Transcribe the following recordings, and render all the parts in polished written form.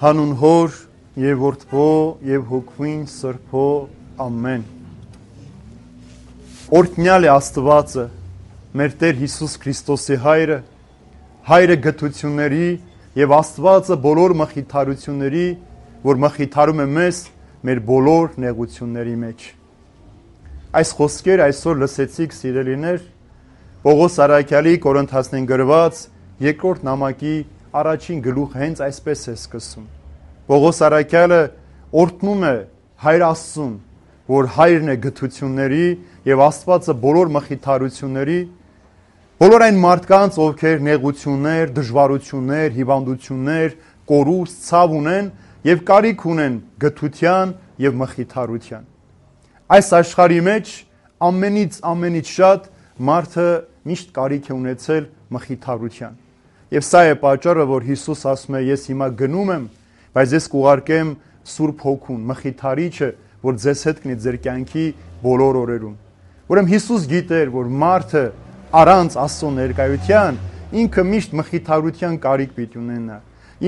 Հանուն Հոր եւ Որդվո եւ Հոգվին Սրբո ամեն։ Օրհնյալ է Աստվածը, մեր Տեր Հիսուս Քրիստոսի Հայրը, Հայրը գթությունների եւ Աստվածը բոլոր մխիթարությունների, որ մխիթարում է մեզ մեր բոլոր նեղությունների մեջ։ Այս խոսքեր այսօր լսեցիք, սիրելիներ, Պողոս Արաքյալի Կորինթացին գրված երկրորդ նամակի առաջին գլուխը հենց այսպես է սկսում։ Պողոս Արաքյալը օրհնում է Հայր Աստծուն, որ Հայրն է գթությունների եւ Աստվածը բոլոր մխիթարությունների, բոլոր այն մարդկանց, ովքեր նեղություններ, դժվարություններ, հիվանդություններ, կորուստ, ցավ ունեն եւ կարիք ունեն գթության եւ մխիթարության։ Այս աշխարհի մեջ ամենից շատ մարդը միշտ կարիք է ունեցել մխիթարության։ Եվ սա է պատճառը, որ Հիսուս ասում է, ես հիմա գնում եմ, բայց ես կուղարկեմ Սուրբ Հոգուն, մխիթարիչը, որ ձեզ հետ կնի ձեր կյանքի բոլոր օրերում։ Ուրեմն Հիսուս գիտեր, որ մարդը առանց Աստծո ներկայության ինքը միշտ մխիթարության կարիք պիտի ունենա։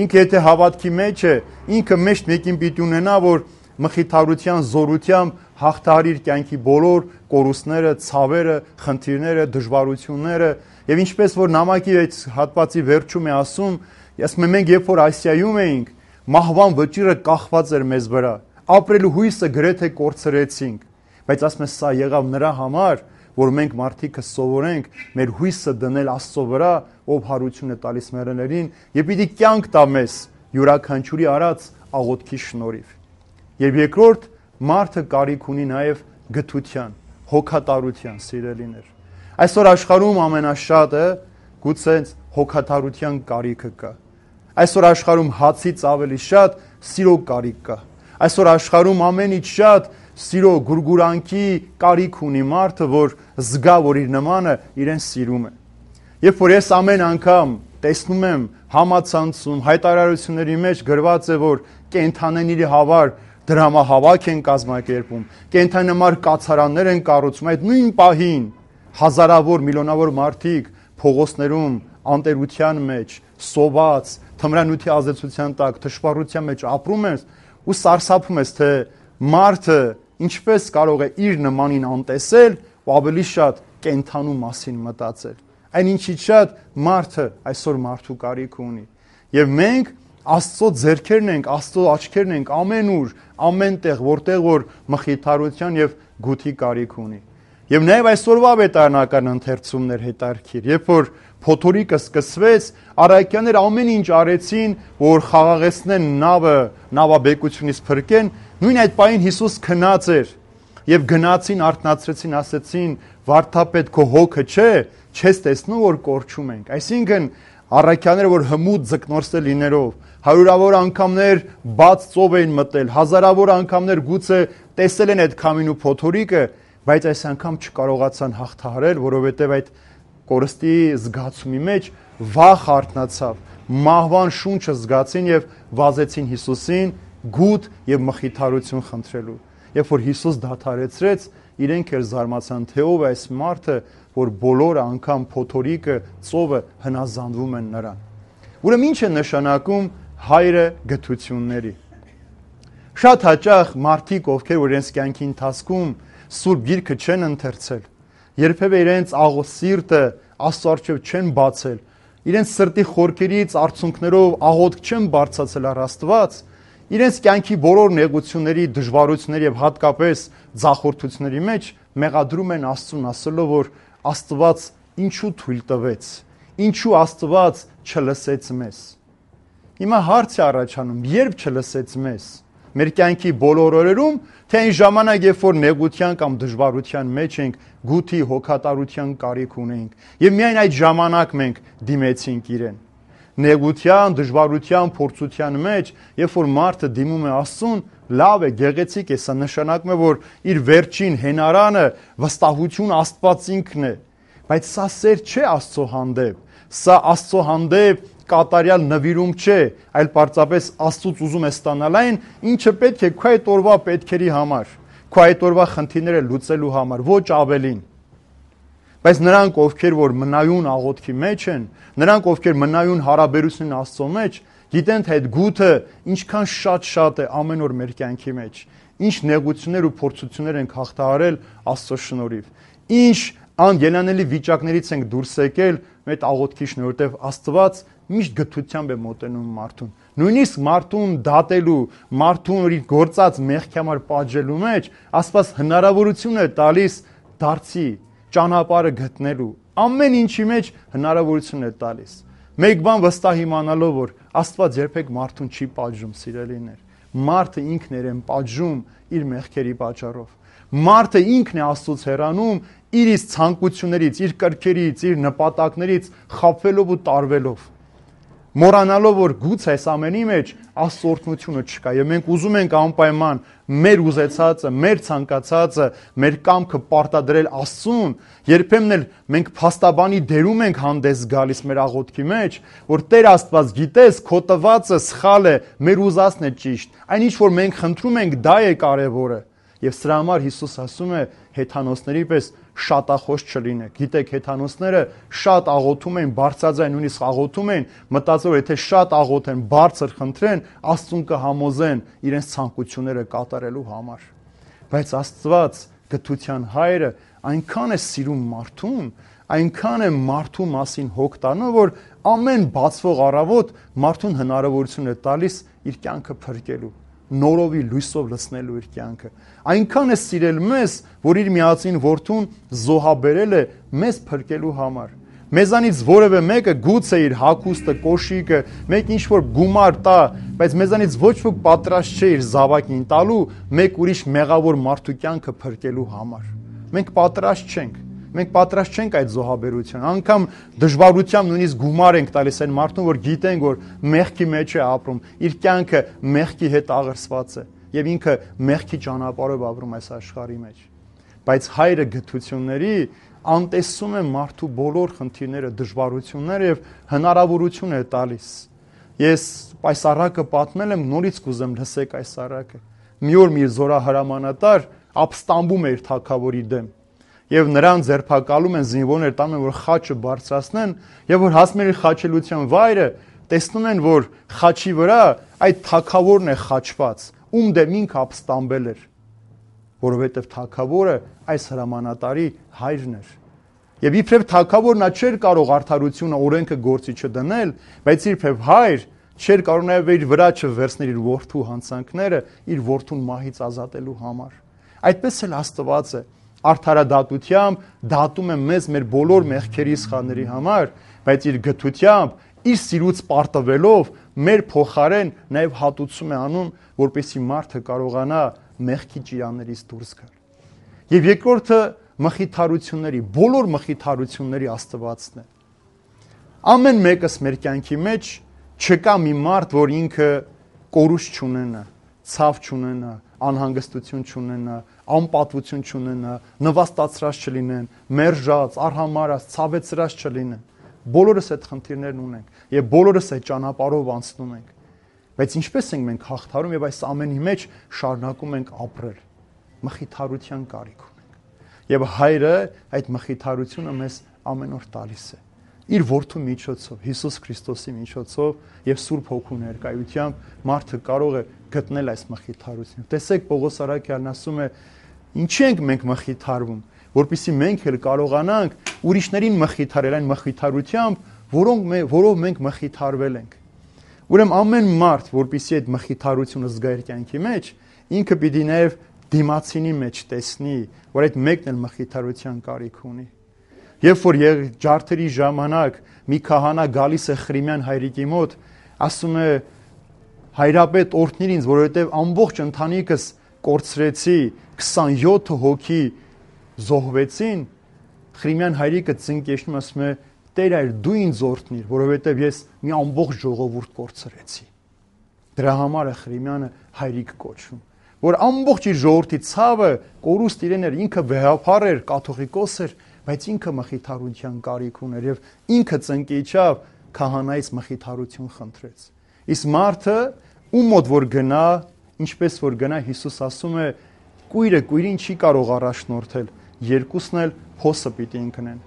Ինքը եթե հավատքի մեջ է, ինքը միշտ մեկին պիտի ունենա, որ մխիթարության զորությամբ հաղթահարի իր կյանքի բոլոր կորուստները, ցավերը, խնդիրները, դժվարությունները։ Եվ ինչպես որ նամակի այդ հատվածի վերջում է ասում, մենք երբ որ Ասիայում էինք, մահվան վճիռը կախված էր մեզ վրա, ապրելու հույսը գրեթե կորցրեցինք, բայց ասում է սա եղավ նրա համար, որ մենք մարդիկը սովորենք մեր հույսը դնել Աստծո վրա, ով հարություն է տալիս մեռելներին, եւ պիտի կյանք տա մեզ յուրաքանչյուրի արած աղոթքի շնորհիվ։ Եվ երկրորդ, մարդը կարիք ունի նաեւ գթության, հոգատարության, սիրելիներ։ Այսօր աշխարհում ամենաշատը գուցե հոգատարության կարիքը կա։ Այսօր աշխարհում հացից ավելի շատ սիրո կարիք կա։ Այսօր աշխարհում ամենից շատ սիրո գուրգուրանքի կարիք ունի մարդը, որ զգա, որ իր նմանը իրեն սիրում է։ Երբ որ ես ամեն անգամ տեսնում եմ համացանցում, հայտարարությունների մեջ գրված է, որ կենդանիների համար դրամահավաք են կազմակերպում, կենդանամար կացարաններ են կառուցում, այդ նույն պահին հազարավոր, միլիոնավոր մարդիկ փողոցներում անտերության մեջ, սոված, թմրանյութի ազդեցության տակ, թշվառության մեջ ապրում են ու սարսափում ես, թե մարդը ինչպես կարող է իր նմանին անտեսել ու ավելի շատ կենդանու մասին մտածել։ Այնինչից շատ մարդը այսօր մարդու կարիք ունի։ Եվ մենք Աստծո ձեռքերն ենք, Աստծո աչքերն ենք ամենուր, ամենտեղ, որտեղ որ մխիթարության եւ գութի կարիք ունի։ Եվ նաև այսօրվա վետարանական ընթերցումներ հետարքիր, երբ որ փոթորիկը սկսվեց, առաքյանները ամեն ինչ արեցին, որ խաղաղեցնեն նավը, նավաբեկությունից փրկեն, նույն այդ պահին Հիսուս քնած էր եւ գնացին, արթնացրեցին, ասեցին. «Վարդապետ, քո հոգը չէ, չես տեսնում որ կորչում ենք»։ Այսինքն առաքյանները, որ հմուտ ձկնորսել լինելով, հարյուրավոր անգամներ բաց ծով էին մտել, հազարավոր անգամներ գուցե տեսել են այդ քամին ու փոթորիկը, բայց այս անգամ չկարողացան հաղթահարել, որովհետև այդ կորստի զգացումի մեջ վախ արթնացավ, մահվան շունչը զգացին եւ վազեցին Հիսուսին գութ եւ մխիթարություն խնդրելու։ Երբ որ Հիսուս դադարեցրեց, իրենք էլ զարմացան, թե ով է այս մարդը, որ բոլոր անգամ փոթորիկը, ծովը հնազանդվում են նրան։ Ուրեմն ինչ է նշանակում Հայրը գթությունների։ Շատ հաճախ մարդիկ, ովքեր որ իրենց կյանքի ընթացքում Սուրբ Գիրքը չեն ընթերցել, երբևէ իրենց սիրտը Աստծո առջև չեն բացել, իրենց սրտի խորքերից արցունքներով աղոթք չեն բարձրացել առ Աստված, իրենց կյանքի բոլոր նեղությունների, դժվարությունների եւ հատկապես ձախորդությունների մեջ մեղադրում են Աստծուն, ասելով, որ Աստված ինչու թույլ տվեց, ինչու Աստված չլսեց մեզ։ Հիմա հարց է առաջանում, երբ չլսեց մեզ։ Մեր կյանքի բոլոր օրերում, թե այն ժամանակ, երբ որ նեղության կամ դժվարության մեջ ենք, գութի, հոգատարության կարիք ունենք, եւ միայն այդ ժամանակ մենք դիմեցինք իրեն։ Նեղության, դժվարության, փորձության մեջ, երբ որ մարդը դիմում է Աստծուն, լավ է, գեղեցիկ է, սա նշանակում է, որ իր վերջին հենարանը վստահություն Աստված ինքն է, բայց սա սեր չէ Աստծո հանդեպ, սա Աստծո հանդեպ կատարյալ նվիրում չէ, այլ պարզապես Աստծուց ուզում է ստանալ այն, ինչը պետք է քո այդ օրվա պետքերի համար, քո այդ օրվա խնդիրները լուծելու համար, ոչ ավելին։ Բայց նրանք, ովքեր որ մնայուն աղոթքի մեջ են, նրանք, ովքեր մնայուն հարաբերություն Աստծո մեջ, Գիտեն թե այդ գութը ինչքան շատ է ամեն օր մեր կյանքի մեջ։ Ինչ նեղություններ ու փորձություններ ենք հաղթահարել Աստծո շնորհիվ։ Ինչ անգելանելի վիճակներից ենք դուրս եկել մեր աղոթքի շնորհիվ, որտեղ Աստված միշտ գթությամբ է մոտենում մարդուն։ Նույնիսկ մարդուն դատելու, մարդուն իր գործած մեղքի համար պատժելու մեջ Աստված հնարավորություն է տալիս դարձի ճանապարհը գտնելու։ Ամեն ինչի մեջ հնարավորություն է տալիս։ Մեկ բան վստահ իմանալով, որ Աստված երբեք մարդուն չի պատժում, սիրելիներ։ Մարդը ինքն է պատժում իր մեղքերի պատճառով։ Մարդը ինքն է Աստծուց հեռանում իր ցանկություններից, իր կրքերից, իր նպատակներից խաբվելով ու տարվելով։ Մոռանալով, որ գուցե այս ամենի մեջ Աստծո օրհնությունը չկա, եւ մենք ուզում ենք անպայման մեր ուզեցածը, մեր ցանկացածը, մեր կամքը պարտադրել Աստծուն, երբեմն էլ մենք փաստաբանի դերում ենք հանդես գալիս մեր աղոթքի մեջ, որ Տեր Աստված, գիտես, քո տվածը սխալ է, մեր ուզածն է ճիշտ։ Այն ինչ որ մենք խնդրում ենք, դա է կարևորը։ Եվ սրա համար Հիսուս ասում է հեթանոսների պես շատախոս չլինեք։ Գիտեք, հեթանոսները շատ աղոթում են, բարձրաձայն նույնիսկ աղոթում են, մտածելով, եթե շատ աղոթեն, բարձր խնդրեն, Աստծուն կհամոզեն իրենց ցանկությունները կատարելու համար։ Բայց Աստված, գթության Հայրը, այնքան է սիրում մարդուն, այնքան է մարդու մասին հոգ տանում, որ ամեն բացվող առավոտ մարդուն հնարավորություն է տալիս իր կյանքը փրկելու, նորովի լույսով լցնելու իր կյանքը։ Այնքան է սիրել մեզ, որ իր միածին որդուն զոհաբերել է մեզ փրկելու համար։ Մեզանից որևէ մեկը գուցե իր հագուստը, կոշիկը, մեկ ինչ որ գումար տա, բայց մեզանից ոչ ոք պատրաստ չէ իր զավակին տալու մեկ ուրիշ մեղավոր մարդու կյանքը փրկելու համար։ Մենք պատրաստ չենք։ Մենք պատրաստ չենք այդ զոհաբերության։ Անկամ դժվարությամբ նույնիսկ գումար ենք տալիս այն մարդուն, որ գիտենք, որ մեղքի մեջ է ապրում, իր կյանքը մեղքի հետ աղերսված է եւ ինքը մեղքի ճանապարհով ապրում այս աշխարհի մեջ։ Բայց Հայրը գթությունների անտեսում է մարդու բոլոր խնդիրները, դժվարությունները եւ հնարավորություն է տալիս։ Ես այս առակը պատմել եմ, նորից կուզեմ լսեք այս առակը։ Մի օր մի զորահրամանատար ապստամբում է իր թագավորի դեմ։ Եվ նրան ձերբակալում են, զինվորներ տանում են, որ խաչը բարձրացնեն, եւ որ հասնել իր խաչելության վայրը, տեսնում են, որ խաչի վրա այդ թագավորն է խաչված, ում դեմ ինքը ապստամբել էր, որովհետեւ թագավորը այս հրամանատարի հայրն էր։ Եվ իբրև թագավոր նա չէր կարող արդարությունը, օրենքը գործի չդնել, բայց իբրև հայր չէր կարող նաեւ իր վրա չվերցնել իր որդու հանցանքները, իր որդուն մահից ազատելու համար։ Այդպես էլ Աստված է արդարադատությամբ դատում է մեզ մեր բոլոր մեղքերի սխալների համար, բայց իր գթությամբ, իր սիրուց պարտվելով մեր փոխարեն նաև հատուցում է անում, որպեսզի մարդը կարողանա մեղքի ճիրաններից դուրս գալ։ Եվ երկրորդը մխիթարությունների, բոլոր մխիթարությունների Աստվածն է։ Ամեն մեկս մեր կյանքի մեջ չկա մի մարդ, որ ինքը կորուստ չունենա, ցավ չունենա, անհանգստություն չունենա, անպատվություն չունենա, նվաստացրած չլինեն, մերժած, արհամարած, ցավեցրած չլինեն։ Բոլորս այդ խնդիրներն ունենք եւ բոլորս այդ ճանապարհով անցնում ենք։ Բայց ինչպես ենք մենք հաղթարում եւ այս ամենի մեջ շարունակում ենք ապրել։ Մխիթարության կարիք ունենք։ Եվ Հայրը այդ մխիթարությունը մեզ ամեն օր տալիս է։ Իր որդու միջոցով, Հիսուս Քրիստոսի միջոցով եւ Սուրբ Հոգու ներկայությամբ մարդը կարող է գտնել այս մխիթարությունը։ Տեսեք, Պողոս Արաքյալն ասում է, ինչի ենք մենք մխիթարվում, որpիսի մենք էլ կարողանանք ուրիշներին մխիթարել այն մխիթարությամբ, որով մենք մխիթարվել ենք։ Ուրեմն ամեն մարդ, որpիսի այդ մխիթարությունը զգա իր կյանքի մեջ, ինքը պիտի նաեւ դիմացինի մեջ տեսնի, որ այդ մեկն էլ մխիթարության կարիք ունի։ Երբ որ ջարդերի ժամանակ մի քահանա գալիս է Խրիմյան հայրիկի մոտ, ասում է. հայրապետ օրհնիր ինձ, որովհետև ամբողջ ընտանիքս կորցրեցի, 27 հոգի զոհվեցին, Խրիմյան հայրիկը ծնկեշնում ասում է. Տեր այր դու ինձ օրհնիր, որովհետև ես մի ամբողջ ժողովուրդ կորցրեցի։ Դրա համար է Խրիմյանը հայրիկ կոչվում, որ ամբողջ իր ժողովրդի ցավը կորուստ իրեն էր, ինքը վեհապար էր, կաթողիկոս էր, բայց ինքը մխիթարության կարիք ուներ եւ ինքը ծնկիչավ քահանայից մխիթարություն խնդրեց։ Իսկ մարդը ում մոտ որ գնա, ինչպես որ գնա, Հիսուս ասում է, կույրը կույրին չի կարող առաջնորդել, երկուսն էլ հոսը պիտի ընկնեն։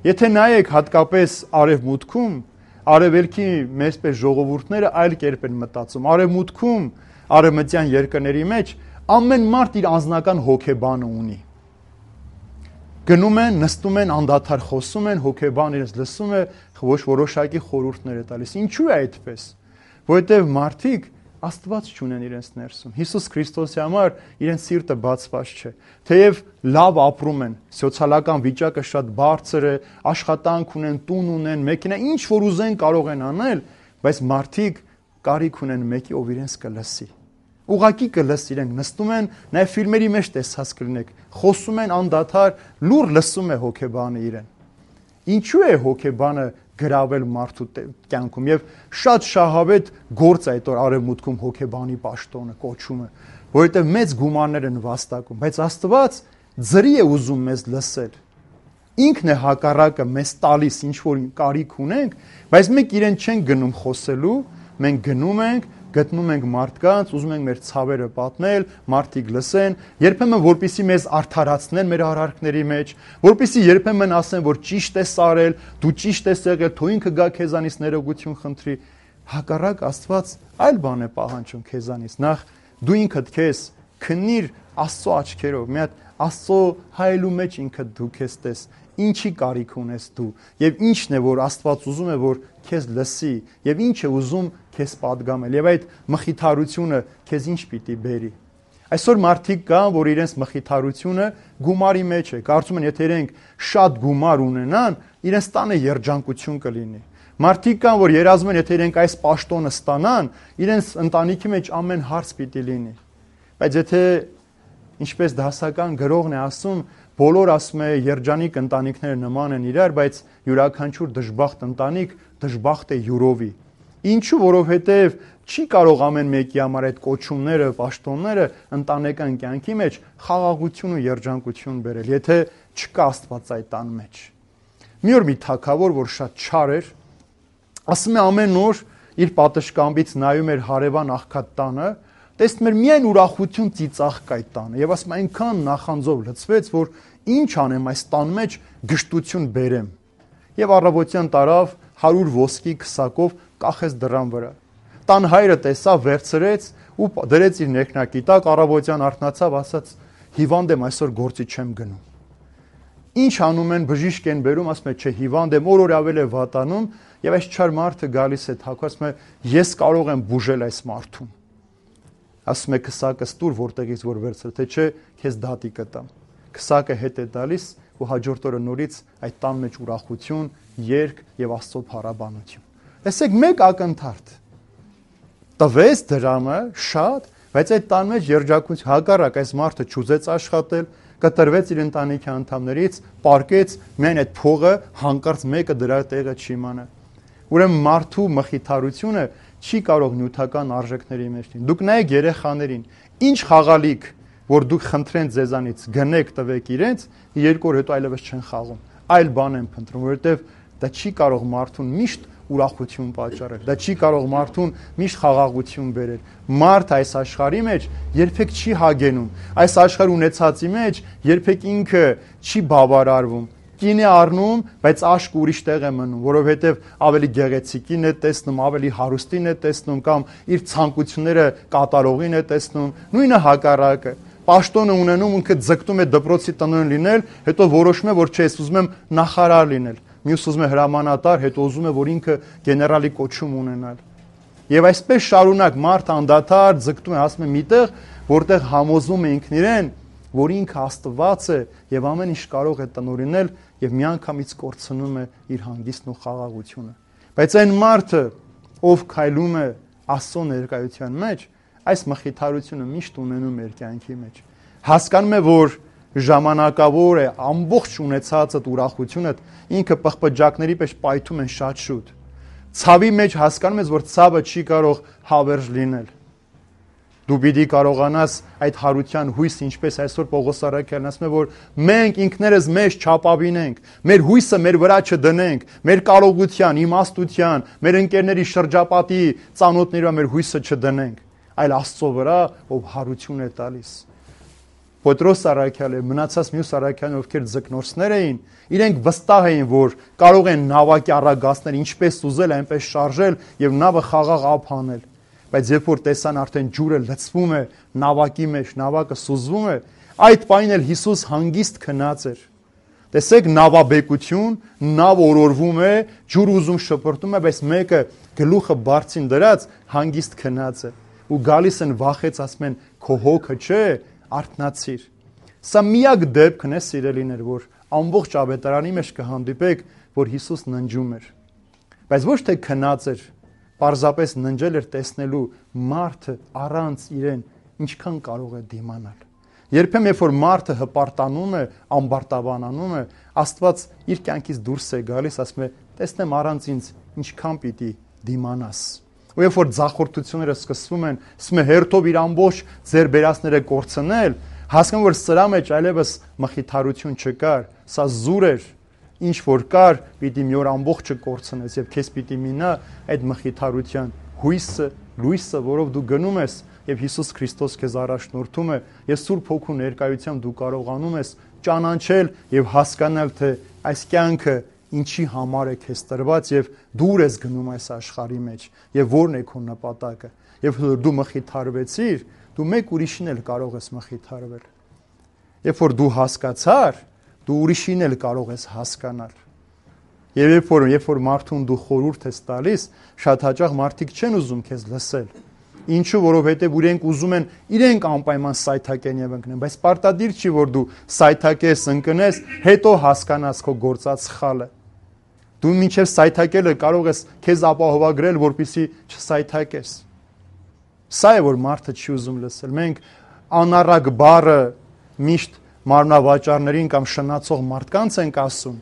Եթե նայեք հատկապես արևմուտքում, Արևելքի մեծպես ժողովուրդները այլ կերպ են մտածում։ Արևմուտքում, արևմտյան երկրների մեջ ամեն մարդ իր անձնական հոգեբանը ունի։ Գնում են, նստում են, անդադար խոսում են, հոգեբան իրենց լսում է, ոչ որոշակի խորհուրդներ է տալիս։ Ինչու է այդպես։ Որովհետև մարդիկ Աստված չունեն իրենց ներսում։ Հիսուս Քրիստոսի համար իրենց սիրտը բացված չէ։ Թեև լավ ապրում են, սոցիալական վիճակը շատ բարձր է, աշխատանք ունեն, տուն ունեն, մեքենա, ինչ որ ուզեն կարող են անել, բայց մարդիկ կարիք ունեն մեկի, ով իրենց կլսի։ Ուղղակի կլսի, իրենք նստում են, նաև ֆիլմերի մեջ տեսած կլինեք, խոսում են անդադար, լուր լսում է հոգեբանը իրեն։ Ինչու է հոգեբանը գրավել մարդու կյանքում եւ շատ շահավետ գործ է այդ որ արևմուտքում հոգեբանի պաշտոնը կոչումը, որովհետեւ մեծ գումարներ են վաստակում, բայց Աստված ձրի է ուզում մեզ լսել։ Ինքն է հակառակը մեզ տալիս ինչ որ կարիք ունենք, բայց մենք իրեն չենք գնում խոսելու, մենք գնում ենք, գտնում ենք մարդկանց, ուզում ենք մեր ցավերը պատմել, մարդիկ լսեն, երբեմն որպեսզի մեզ արդարացնեն մեր արարքների մեջ, որպեսզի երբեմն ասեն, որ ճիշտ ես արել, դու ճիշտ ես եղել, թող ինքը գա քեզանից ներողություն խնդրի։ Հակառակ Աստված այլ բան է պահանջում քեզանից։ Նախ դու ինքդ քեզ քննիր Աստծո աչքերով, մի հատ Աստծո հայելու մեջ ինքդ դու քեզ տես, ինչի կարիք ունես դու, եւ ինչն է որ Աստված ուզում է որ քեզ լսի, եւ ինչ է ուզում քեզ պատգամել, եւ այդ մխիթարությունը քեզ ինչ պիտի բերի։ Այսօր մարդիկ կան, որ իրենց մխիթարությունը գումարի մեջ է, կարծում են եթե իրենք շատ գումար ունենան, իրենց տանը երջանկություն կլինի։ Մարդիկ կան, որ երազում են, եթե իրենք այս պաշտոնը ստանան, իրենց ընտանիքի մեջ ամեն հարց պիտի լինի։ Բայց եթե ինչպես դասական գրողն է ասում, բոլոր ասում է երջանիկ ընտանիքները նման են իրար, բայց յուրաքանչյուր դժբախտ ընտանիք դժբախտ է յուրովի։ Ինչու, որովհետև չի կարող ամեն մեկի համար այդ կոչումները, պաշտոնները ընտանեկան կյանքի մեջ խաղաղություն ու երջանկություն բերել, եթե չկա Աստված այդ տան մեջ։ Մի օր մի թագավոր, որ շատ չար էր, ասում է ամեն օր իր պատշգամբից նայում էր հարևան աղքատ տանը, տեսնում էր միայն ուրախություն ծիծաղ կա այդ տանը եւ ասում այնքան նախանձով լցվեց, որ ինչ անեմ այս տան մեջ գժտություն բերեմ։ Եվ առավոտյան տարավ 100 ոսկի քսակով կախեց դռան վրա։ Տան հայրը տեսավ, վերցրեց ու դրեց իր ներքնակի տակ, առավոտյան արթնացավ, ասաց. հիվանդ եմ, այսօր գործի չեմ գնում։ Ինչ անում են, բժիշկ են բերում, ասում է, չէ, հիվանդ եմ, օր ավել է վատանում, եւ այս չար մարդը գալիս է թակում, ասում է, ես կարող եմ բուժել այս մարդուն։ Ասում է քսակը ստուր որտեղից որ վերցրել, թե չէ քեզ դատի կտամ։ Քսակը հետ է տալիս ու հաջորդ օրը նորից այդ տան մեջ ուրախություն, երգ եւ Աստծո փառաբանություն։ Տեսեք մեկ ակնթարթ։ Տվեց դրամը շատ, բայց այդ տան մեջ երջանկություն հակառակ այս մարդը չուզեց աշխատել, կտրվեց իր ընտանիքի անդամներից, պարկեց միայն այդ փողը հանկարծ մեկը դրա տեղը չիմանա։ Ուրեմն մարդու մխիթարությունը չի կարող նյութական արժեքների մեջ լինել։ Դուք նայեք երեխաներին, ինչ խաղալիք, որ դուք խնդրեն ձեզանից, գնեք տվեք իրենց, 2 օր հետո այլևս չեն խաղում։ Այլ բան են փնտրում, որովհետև դա չի կարող մարդուն միշտ ուրախություն պատճառել։ Դա չի կարող մարդուն միշտ խաղաղություն բերել։ Մարդ այս աշխարհի մեջ երբեք չի հագենում։ Այս աշխարհ ունեցածի մեջ երբեք ինքը չի բավարարվում։ Կին է առնում, բայց աշկը ուրիշ տեղ է մնում, որովհետև ավելի գեղեցիկին է տեսնում, ավելի հարուստին է տեսնում կամ իր ցանկությունները կատարողին է տեսնում, նույնը հակառակը։ Պաշտոնը ունենում, ինքը ձգտում է դպրոցի տնօրեն լինել, հետո որոշում է, որ չէ, ես ուզում եմ նախարար լինել, մյուս ուզում է հրամանատար, հետո ուզում է, որ ինքը գեներալի կոչում ունենալ։ Եվ այսպես շարունակ մարդ անդադար ձգտում է, ասում է միտեղ, որտեղ համոզում է ինքն իրեն, որ ինքը Աստված է եւ ամեն ինչ կարող է տնօրինել եւ միանգամից կորցնում է իր հանգիստն ու խաղաղությունը։ Բայց այն մարդը, ով քայլում է Աստծո ներկայության մեջ, այս մխիթարությունը միշտ ունենում է իր կյանքի մեջ։ Հասկանում է, որ ժամանակավոր է, ամբողջ ունեցածդ ուրախությունդ ինքը պղպջակների պես պայթում են շատ շուտ։ Ցավի մեջ հասկանում ես, որ ցավը չի կարող հավերժ լինել։ Դու պիտի կարողանաս այդ հարության հույսը, ինչպես այսօր Պողոս առաքյալն ասում է, որ մենք ինքներս մեզ չապավինենք, մեր հույսը մեր վրա չդնենք, մեր կարողության, իմաստության, մեր ընկերների շրջապատի ծանոթների վրա մեր հույսը չդնենք, այլ Աստծո վրա, ով հարություն է տալիս։ Պետրոս առաքյալը, մնացած մյուս առաքյալները, ովքեր ձկնորսներ էին, իրենք վստահ էին, որ կարող են նավակի առագաստներ ինչպես ուզել, այնպես շարժել եւ նավը խաղաղ ափ անել։ Բայց երբ որ տեսան արդեն ջուրը լցվում է նավակի մեջ, նավակը սուզվում է, այդ պայն էլ Հիսուս հանգիստ քնած էր։ Տեսեք նավաբեկություն, նավ օրորվում է, ջուր ուզում շպրտում է, բայց մեկը գլուխը բարձին դրած հանգիստ քնած է։ Ու գալիս են վախեց, ասում են քո հոգը չէ, արթնացիր։ Սա միակ դեպքն է, սիրելիներ, որ ամբողջ ավետարանի մեջ կհանդիպեք, որ Հիսուս ննջում էր։ Բայց ոչ թե քնած էր, պարզապես ննջել էր տեսնելու մարդը առանց իրեն ինչքան կարող է դիմանալ։ Երբեմն երբ որ մարդը հպարտանում է, ամբարտավանանում է, Աստված իր կյանքից դուրս է գալիս, ասում է, տեսնեմ առանց ինձ ինչքան պիտի դիմանաս։ Ու երբ որ ձախորդությունները սկսվում են, ասում է հերթով իր ամբողջ ձեր բերածները կորցնել, հասկանում որ սրա մեջ այլևս մխիթարություն չկար, սա զուր էր, ինչ որ կար, պիտի մի օր ամբողջը կորցնես եւ քեզ պիտի մինա այդ մխիթարության հույսը, լույսը, որով դու գնում ես եւ Հիսուս Քրիստոս քեզ առաջնորդում է, եւ Սուրբ Հոգու ներկայությամբ դու կարողանում ես ճանաչել եւ հասկանալ, թե այս կյանքը ինչի համար է քեզ տրված եւ դուր ես գնում այս աշխարհի մեջ եւ որն է քո նպատակը։ Երբ դու մխիթարվեցիր, դու մեկ ուրիշին էլ կարող ես մխիթարվել։ Երբ որ դու հասկացար, դու ուրիշին էլ կարող ես հասկանալ։ Եվ երբ որ մարդուն դու խորհուրդ ես տալիս, շատ հաճախ մարդիկ չեն ուզում քեզ լսել։ Ինչու, որովհետև իրենք ուզում են իրենք անպայման սայթակեն եւ ընկնեն, բայց պարտադիր չի, որ դու սայթակես, ընկնես, հետո հասկանաս քո գործած սխալը։ Դու մինչև սայթակելը կարող ես քեզ ապահովագրել, որպեսզի չսայթակես։ Սա է, որ մարդը չի ուզում լսել։ Մենք անառակ բառը միշտ մարմնավաճառներին կամ շնացող մարդկանց ենք ասում,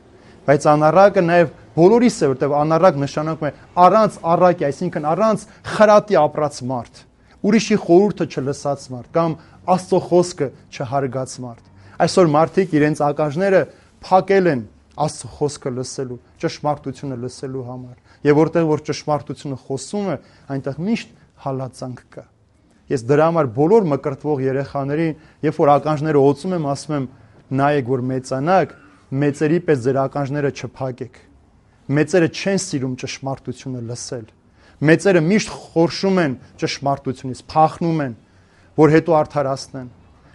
բայց անառակը նաև բոլորիս է, որտեղ անառակ նշանակում է առանց առակի, այսինքն առանց խրատի ապրած մարդ, ուրիշի խորհուրդը չլսած մարդ կամ Աստծո խոսքը չհարգած մարդ։ Այսօր մարդիկ իրենց ականջները փակել են Աստծո խոսքը լսելու, ճշմարտությունը լսելու համար։ Եվ որտեղ որ ճշմարտությունը խոսում է, այնտեղ միշտ հալածանք կա։ Ես դրա համար բոլոր մկրտվող երեխաներին, երբ որ ականջները օծում եմ, ասում եմ, նայեք, որ մեծանաք, մեծերի պես ձեր ականջները չփակեք։ Մեծերը չեն սիրում ճշմարտությունը լսել։ Մեծերը միշտ խորշում են ճշմարտությունից, փախնում են, որ հետո արդարացնեն։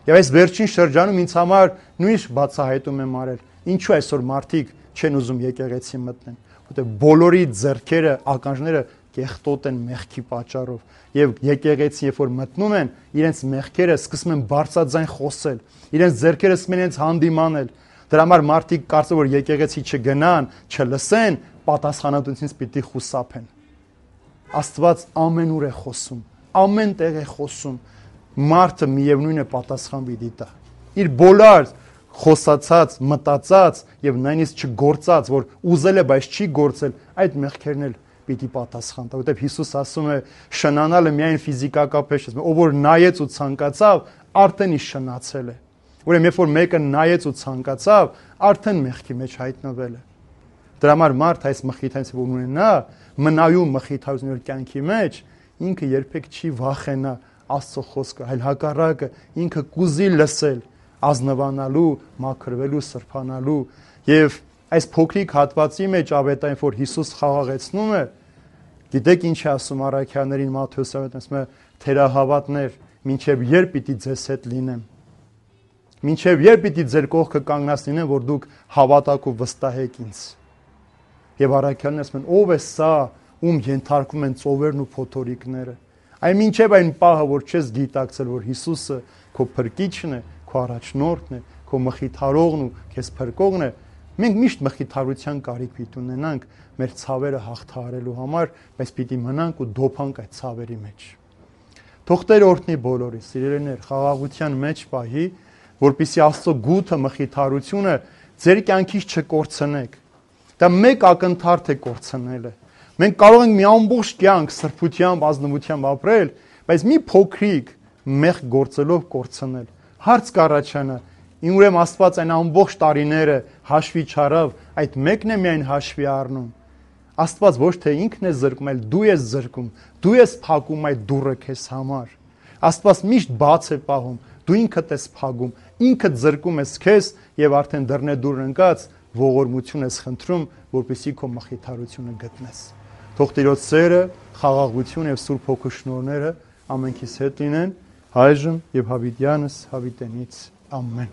Եվ այս վերջին շրջանում ինձ համար նույնիսկ բացահայտում եմ արել, ինչու այսօր մարդիկ չեն ուզում եկեղեցի մտնեն, որտեղ բոլորի ձեռքերը, ականջները կեղտոտ են մեղքի պատճառով, եւ եկեղեցին երբ որ մտնում են, իրենց մեղքերը սկսում են բարձրաձայն խոսել, իրենց ձեռքերը սկսում են իրենց հանդիմանել։ Դրա համար մարդիկ կարծում որ եկեղեցի չգնան, չլսեն, պատասխանատվությունից պիտի խուսափեն։ Աստված ամենուր է խոսում, ամեն տեղ է խոսում։ Մարդը միևնույն է պատասխան պիտի տա։ Իր բոլոր խոսացած, մտածած եւ նույնիսկ չգործած, որ ուզել է, բայց չի գործել, այդ մեղքերն էլ պիտի պատասխան տա, որտեղ Հիսուս ասում է, շնանալը միայն ֆիզիկակապես չէ, ով որ նայեց ու ցանկացավ, արդեն ի շնացել է։ Ուրեմն երբ որ մեկը նայեց ու ցանկացավ, արդեն մեղքի մեջ հայտնվել է։ Դրա համար մարդ այս մխիթարությունը որ ունենա, մնայուն մխիթարությունը կյանքի մեջ, ինքը երբեք չի վախենա Աստծո խոսքը, այլ հակառակը ինքը կուզի լսել, ազնվանալու, մաքրվելու, սրբանալու եւ այս փոքրիկ հատվածի մեջ ավետային որ Հիսուս խաղաղեցնում է, գիտեք ինչ է ասում առաքյալներին Մատթեոս ավետարանը, ասում է թերահավատներ, մինչև երբ պիտի ձեզ հետ լինեմ։ Մինչև երբ պիտի ձեր կողքը կանգնած լինեմ, որ դուք հավատաք ու վստահեք ինձ։ Եվ առաքյալն ասում են, ով է սա, ում ենթարկվում են ծովերն ու փոթորիկները։ Այն մինչև այն պահը, որ չես գիտակցել, որ Հիսուսը քո փրկիչն է, քո առաջնորդն է, քո մխիթարողն ու քեզ փրկողն է, մենք միշտ մխիթարության կարիք պիտի ունենանք մեր ցավերը հաղթահարելու համար, բայց պիտի մնանք ու դոփանք այդ ցավերի մեջ։ Թող Տեր օրհնի բոլորիս, սիրելիներ, խաղաղության մեջ պահի, որպեսզի Աստծո գութը մխիթարությունը ձեր կյանքից չկորցնեք։ Դա մեկ ակնթարթ է կորցնելը։ Մենք կարող ենք մի ամբողջ կյանք սրբությամբ, ազնվությամբ ապրել, բայց մի փոքրիկ մեղք գործելով կորցնել։ Հարց կառաջանա, ուրեմն Աստված այն ամբողջ տարիները հաշվի չարավ, այդ մեկն է միայն հաշվի առնում։ Աստված ոչ թե ինքն է զրկում, այլ դու ես զրկում, դու ես փակում այդ դուռը քեզ համար։ Աստված միշտ բաց է պահում, դու ինքդ ես փակում, ինքդ զրկում ես քեզ եւ արդեն դռնե դուր ընկած ողորմություն ես խնդրում, որպեսզի քո մխիթարությունը գտնես։ Թող Տիրոջ սերը, խաղաղություն եւ Սուրբ Հոգու շնորհները ամենքիս հետ լինեն, այժմ եւ հավիտյանս հավիտենից ամեն։